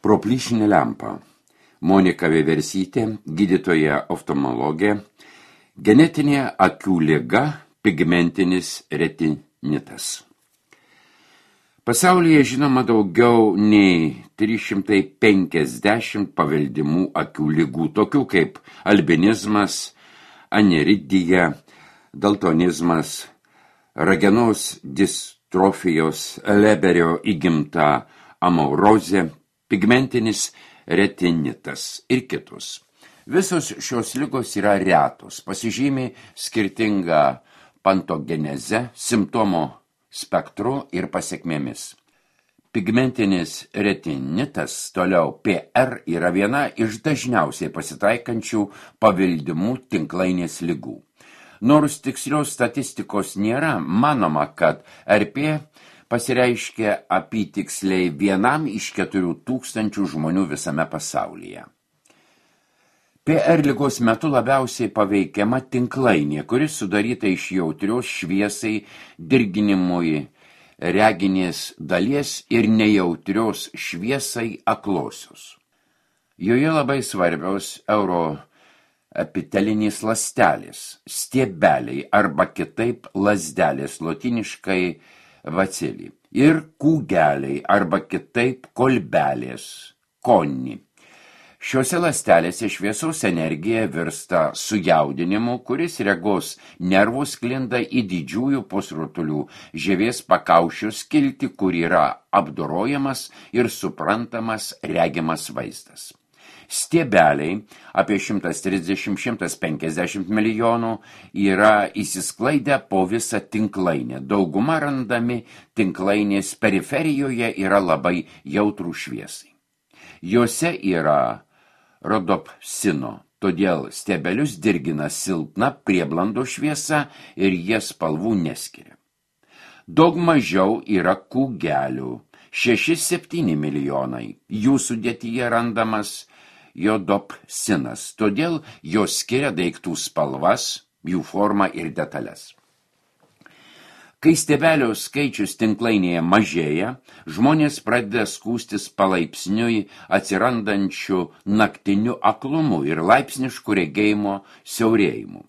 Proplyšinė lempa. Monika Vieversytė, gydytoja oftalmologė, genetinė akių liga, pigmentinis retinitas. Pasaulyje žinoma daugiau nei 350 paveldimų akių ligų, tokių kaip albinizmas, aneridija, daltonizmas, ragenos distrofijos, Leberio įgimta amaurozė, pigmentinis retinitas ir kitus. Visos šios ligos yra retos, pasižymi skirtingą pantogenezę, simptomo spektru ir pasekmėmis. Pigmentinis retinitas, toliau PR, yra viena iš dažniausiai pasitaikančių paveldimų tinklainės ligų. Nors tikslios statistikos nėra, manoma, kad RP pasireiškia apytiksliai 1 iš 4,000 žmonių visame pasaulyje. PR ligos metu labiausiai paveikiama tinklainė, kuris sudaryta iš jautrios šviesai, dirginimui reginės dalies ir nejautrios šviesai aklosios. Joje labai svarbios euroepitelinės ląstelės, stiebeliai arba kitaip lazdelės, lotiniškai vaceli, ir kūgeliai arba kitaip kolbelės, konni. Šiuose ląstelėse šviesos energija virsta sujaudinimu, kuris regos nervų sklinda į didžiųjų pusrutulių žievės pakaušio skiltį, kur yra apdorojamas ir suprantamas regimas vaizdas. Stiebeliai, apie 130–150 milijonų, yra įsisklaidę po visą tinklainę. Dauguma randami tinklainės periferijoje yra labai jautrų šviesai. Jose yra rodopsino, todėl stiebelius dirgina silpna prieblando šviesa ir jie spalvų neskiria. Daug mažiau yra kūgelių, 6–7 milijonai. Jų sudėtyje randamas jodopsinas, todėl jos skiria daiktų spalvas, jų formą ir detalės. Kai stiebelio skaičius tinklainėje mažėja, žmonės pradeda skųstis palaipsniui atsirandančių naktiniu aklumu ir laipsnišku regėjimo siaurėjimu.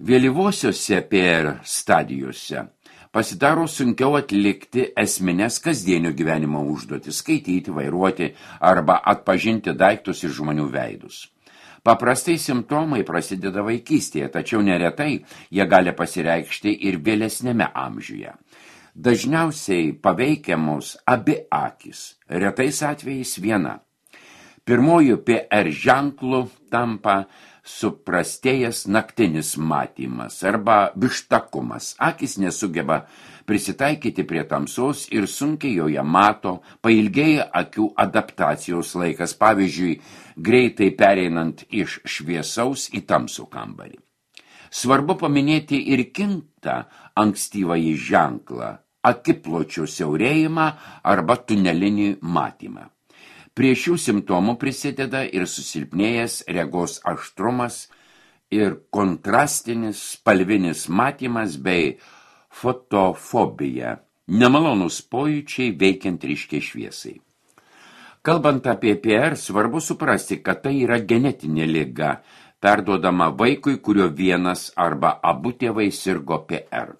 Vėlyvosiose PR stadijose pasidaro sunkiau atlikti esmines kasdienio gyvenimo užduotis, skaityti, vairuoti arba atpažinti daiktus ir žmonių veidus. Paprastai simptomai prasideda vaikystėje, tačiau neretai jie gali pasireikšti ir vėlesnėme amžiuje. Dažniausiai paveikiamos abi akys, retais atvejais viena. Pirmojų PR ženklų tampa suprastėjęs naktinis matymas arba vištakumas. Akys nesugeba prisitaikyti prie tamsos ir sunkiai joje mato, pailgėja akių adaptacijos laikas, pavyzdžiui, greitai pereinant iš šviesaus į tamsų kambarį. Svarbu paminėti ir kitą ankstyvąjį ženklą – akipločio siaurėjimą arba tunelinį matymą. Prie šių simptomų prisideda ir susilpnėjęs regos aštrumas ir kontrastinis spalvinis matymas bei fotofobija, nemalonūs pojūčiai veikiant ryškiai šviesai. Kalbant apie PR, svarbu suprasti, kad tai yra genetinė liga, perduodama vaikui, kurio vienas arba abu tėvai sirgo PR.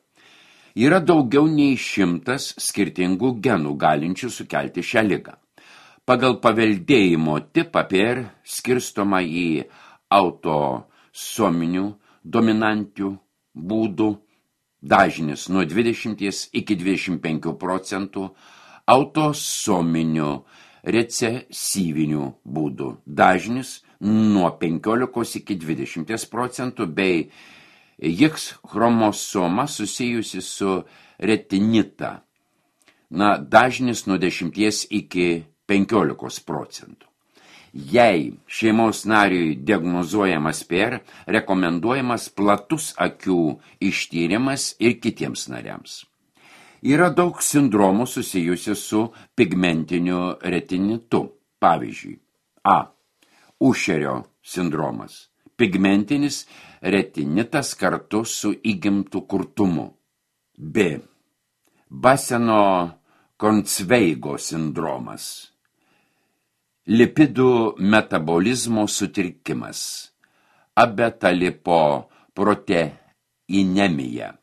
Yra daugiau nei 100 skirtingų genų galinčių sukelti šią ligą. Pagal paveldėjimo tipą PR skirstoma į autosominių dominantių būdų, dažnis nuo 20–25%, autosominių recesyvinių būdų, dažnis nuo 15–20%, bei X chromosoma susijusi su retinita, dažnis nuo 10–15%. Jei šeimos nariui diagnozuojamas PR, rekomenduojamas platus akių ištyrimas ir kitiems nariams. Yra daug sindromų susijusių su pigmentiniu retinitu. Pavyzdžiui, A. Ušerio sindromas. Pigmentinis retinitas kartu su įgimtu kurtumu. B. Baseno-Koncveigo sindromas. Lipidų metabolizmo sutrikimas, abetalipoproteinemija.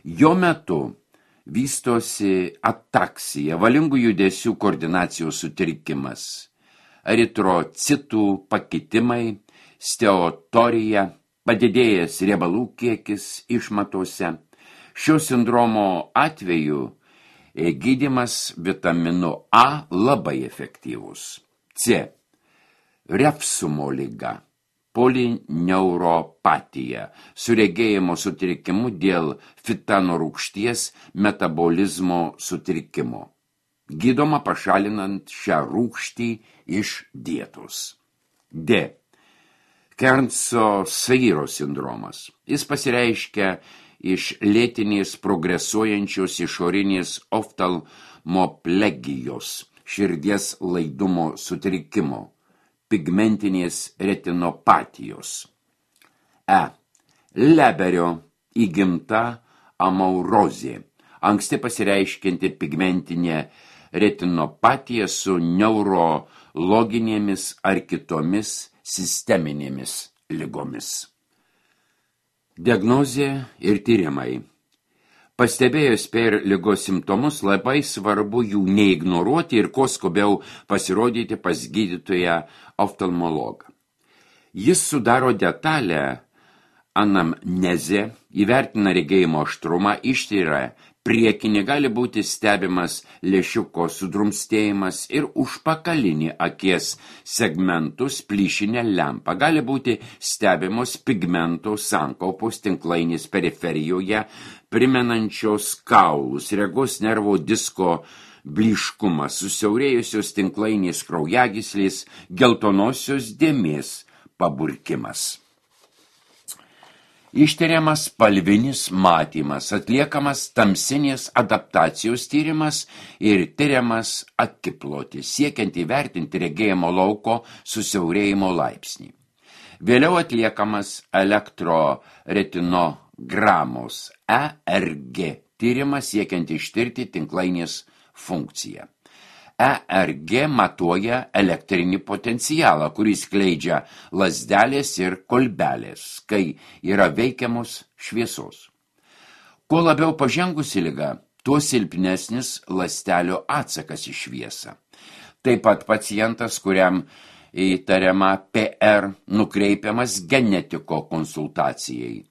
Jo metu vystosi ataksija, valingų judesių koordinacijos sutrikimas, eritrocitų pakitimai, steatorija, padidėjęs riebalų kiekis išmatose. Šio sindromo atveju gydymas vitaminu A labai efektyvus. C. Refsumo liga, polineuropatija, su regėjimo sutrikimu dėl fitano rūgšties metabolizmo sutrikimo. Gydoma pašalinant šią rūgštį iš dietos. D. Kernso-Sairo sindromas. Jis pasireiškia iš lėtinės progresuojančios išorinės oftalmoplegijos, širdies laidumo sutrikimo, pigmentinės retinopatijos. E. Leberio įgimta amaurozė, anksti pasireiškianti pigmentinė retinopatija su neurologinėmis ar kitomis sisteminėmis ligomis. Diagnozė ir tyrimai. Pastebėjus per ligos simptomus, labai svarbu jų neignoruoti ir kuo skubiau pasirodyti pas gydytoją oftalmologą. Jis sudaro detalę anamnezę, įvertina regėjimo aštrumą, ištyria priekinį, gali būti stebimas lęšiuko sudrumstėjimas ir užpakalinį akies segmentus plyšinę lempą. Gali būti stebimos pigmentų sankaupos tinklainės periferijoje, primenančios kaulus, regos nervo disko blyškumas, susiaurėjusios tinklainės kraujagyslės, geltonosios dėmės paburkimas. Ištiriamas spalvinis matymas, atliekamas tamsinės adaptacijos tyrimas ir tyriamas akiplotis, siekiant įvertinti regėjimo lauko susiaurėjimo laipsnį. Vėliau atliekamas elektroretinogramos ERG tyrimas, siekiant ištirti tinklainės funkciją. ERG matuoja elektrinį potencialą, kurį skleidžia lazdelės ir kolbelės, kai yra veikiamos šviesos. Kuo labiau pažengusi liga, tuo silpnesnis ląstelių atsakas į šviesą. Taip pat pacientas, kuriam įtariama PR, nukreipiamas genetiko konsultacijai.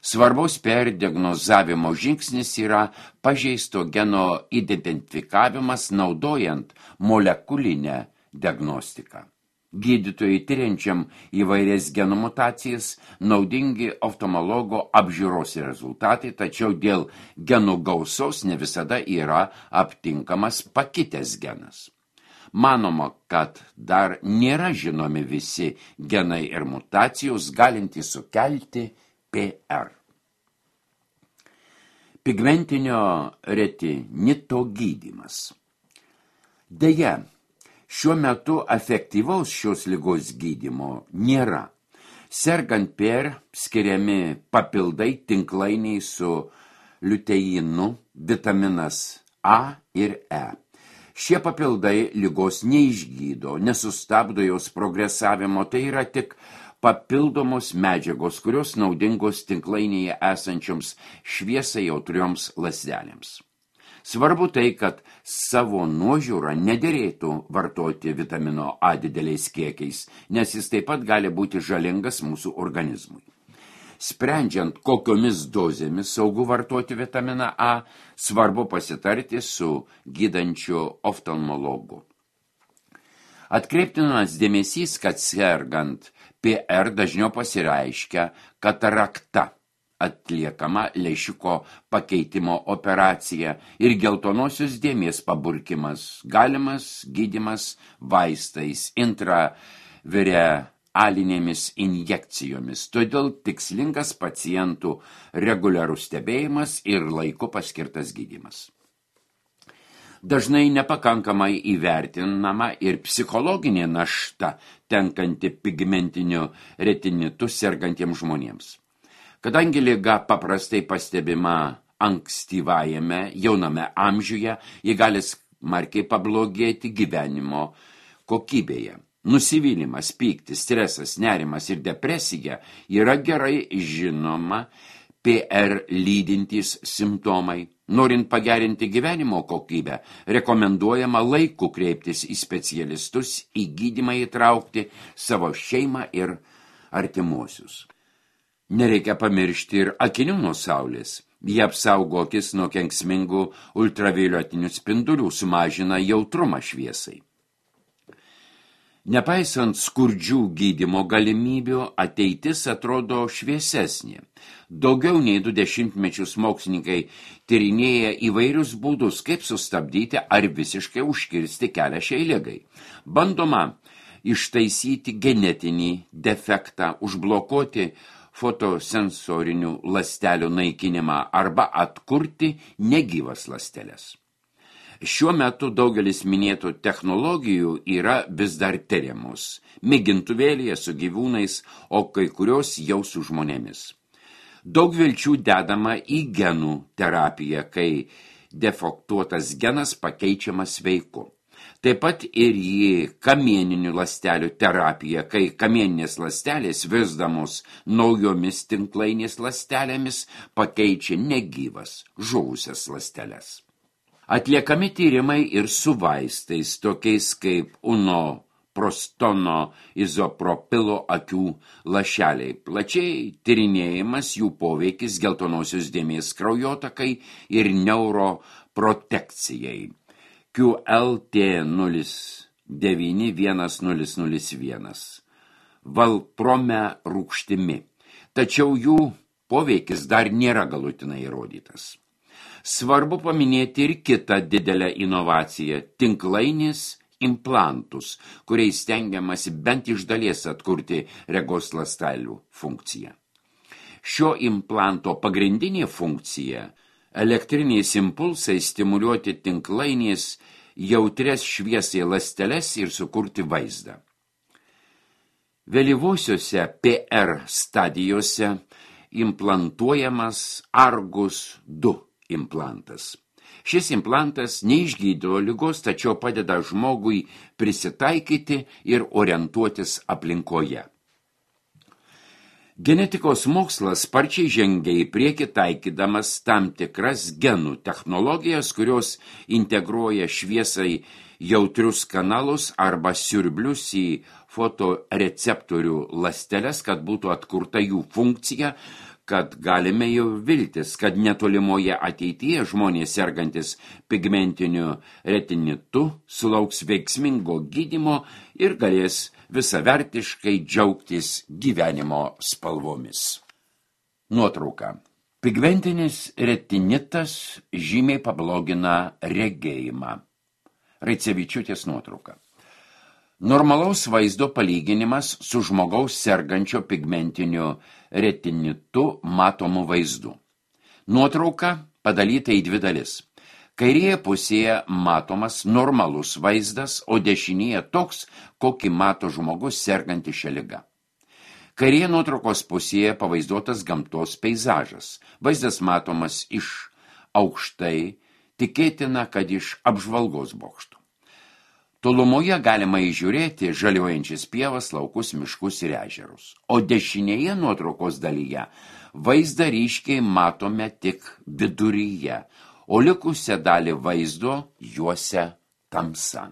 Svarbaus perdiagnozavimo žingsnis yra pažeisto geno identifikavimas naudojant molekulinę diagnostiką. Gydytojai tyriančiam įvairias genų mutacijas naudingi oftalmologo apžiūros rezultatai, tačiau dėl genų gausos ne visada yra aptinkamas pakitęs genas. Manoma, kad dar nėra žinomi visi genai ir mutacijos galintys sukelti PR. Pigmentinio retinito gydymas. Deja, šiuo metu efektyvaus šios ligos gydymo nėra. Sergant PR skiriami papildai tinklainiai su liuteinu, vitaminas A ir E. Šie papildai ligos neišgydo, nesustabdo jos progresavimo, tai yra tik papildomos medžiagos, kurios naudingos tinklainėje esančioms šviesai jautrioms ląstelėms. Svarbu tai, kad savo nuožiūrą nederėtų vartoti vitamino A dideliais kiekiais, nes jis taip pat gali būti žalingas mūsų organizmui. Sprendžiant, kokiomis dozėmis saugu vartoti vitaminą A, svarbu pasitarti su gydančiu oftalmologu. Atkreiptinas dėmesys, kad sergant PR dažniau pasireiškia katarakta, atliekama lęšiuko pakeitimo operacija ir geltonosios dėmės paburkimas, galimas gydymas vaistais, intravirealinėmis injekcijomis. Todėl tikslingas pacientų reguliarus stebėjimas ir laiku paskirtas gydymas. Dažnai nepakankamai įvertinama ir psichologinė našta tenkanti pigmentiniu retinitu sergantiems žmonėms. Kadangi liga paprastai pastebima ankstyvajame jauname amžiuje, ji gali smarkiai pablogėti gyvenimo kokybėje. Nusivylimas, pyktis, stresas, nerimas ir depresija yra gerai žinoma PR lydintys simptomai. Norint pagerinti gyvenimo kokybę, rekomenduojama laiku kreiptis į specialistus, į gydymą įtraukti savo šeimą ir artimuosius. Nereikia pamiršti ir akinių nuo saulės. Jie apsaugo akis nuo kenksmingų ultravioletinių spindulių, sumažina jautrumą šviesai. Nepaisant skurdžių gydymo galimybių, ateitis atrodo šviesesnė. Daugiau nei 20 metus mokslininkai tyrinėja įvairius būdus, kaip sustabdyti ar visiškai užkirsti kelią šiai ligai. Bandoma ištaisyti genetinį defektą, užblokuoti fotosensorinių ląstelių naikinimą arba atkurti negyvas ląsteles. Šiuo metu daugelis minėtų technologijų yra vis dar tiriamos, mėgintuvėlyje su gyvūnais, o kai kurios jau su žmonėmis. Daug vilčių dedama į genų terapiją, kai defektuotas genas pakeičiamas sveiku. Taip pat ir į kamieninių ląstelių terapiją, kai kamieninės ląstelės virsdamos naujomis tinklainės ląstelėmis pakeičia negyvas, žuvusias ląsteles. Atliekami tyrimai ir su vaistais, tokiais kaip unoprostono izopropilo akių lašeliai. Plačiai tyrinėjimas jų poveikis geltonosios dėmės kraujotakai ir neuroprotekcijai. QLT091001 valprome rūgštimi. Tačiau jų poveikis dar nėra galutinai įrodytas. Svarbu paminėti ir kitą didelę inovaciją – tinklainės implantus, kuriais stengiamasi bent iš dalies atkurti regos ląstelių funkciją. Šio implanto pagrindinė funkcija – elektriniais impulsais stimuliuoti tinklainės jautrias šviesai ląsteles ir sukurti vaizdą. Vėlyvosiuose PR stadijose implantuojamas Argus 2 implantas. Šis implantas neišgydo ligos, tačiau padeda žmogui prisitaikyti ir orientuotis aplinkoje. Genetikos mokslas sparčiai žengia į priekį taikydamas tam tikras genų technologijas, kurios integruoja šviesai jautrius kanalus arba siurblius į fotoreceptorių ląsteles, kad būtų atkurta jų funkcija, kad galime jau viltis, kad netolimoje ateityje žmonės sergantis pigmentiniu retinitu sulauks veiksmingo gydymo ir galės visavertiškai džiaugtis gyvenimo spalvomis. Nuotrauka. Pigmentinis retinitas žymiai pablogina regėjimą. Raicevičiūtės nuotrauka. Normalaus vaizdo palyginimas su žmogaus sergančio pigmentiniu retinitu matomu vaizdu. Nuotrauka padalyta į 2 dalis. Kairėje pusėje matomas normalus vaizdas, o dešinėje toks, kokį mato žmogus serganti šią ligą. Kairėje nuotraukos pusėje pavaizduotas gamtos peizažas. Vaizdas matomas iš aukštai, tikėtina, kad iš apžvalgos bokšto. Tolumoje galima įžiūrėti žaliuojančias pievas, laukus, miškus ir ežerus. O dešinėje nuotraukos dalyje vaizdą ryškiai matome tik viduryje, o likusią dalį vaizdo juosia tamsa.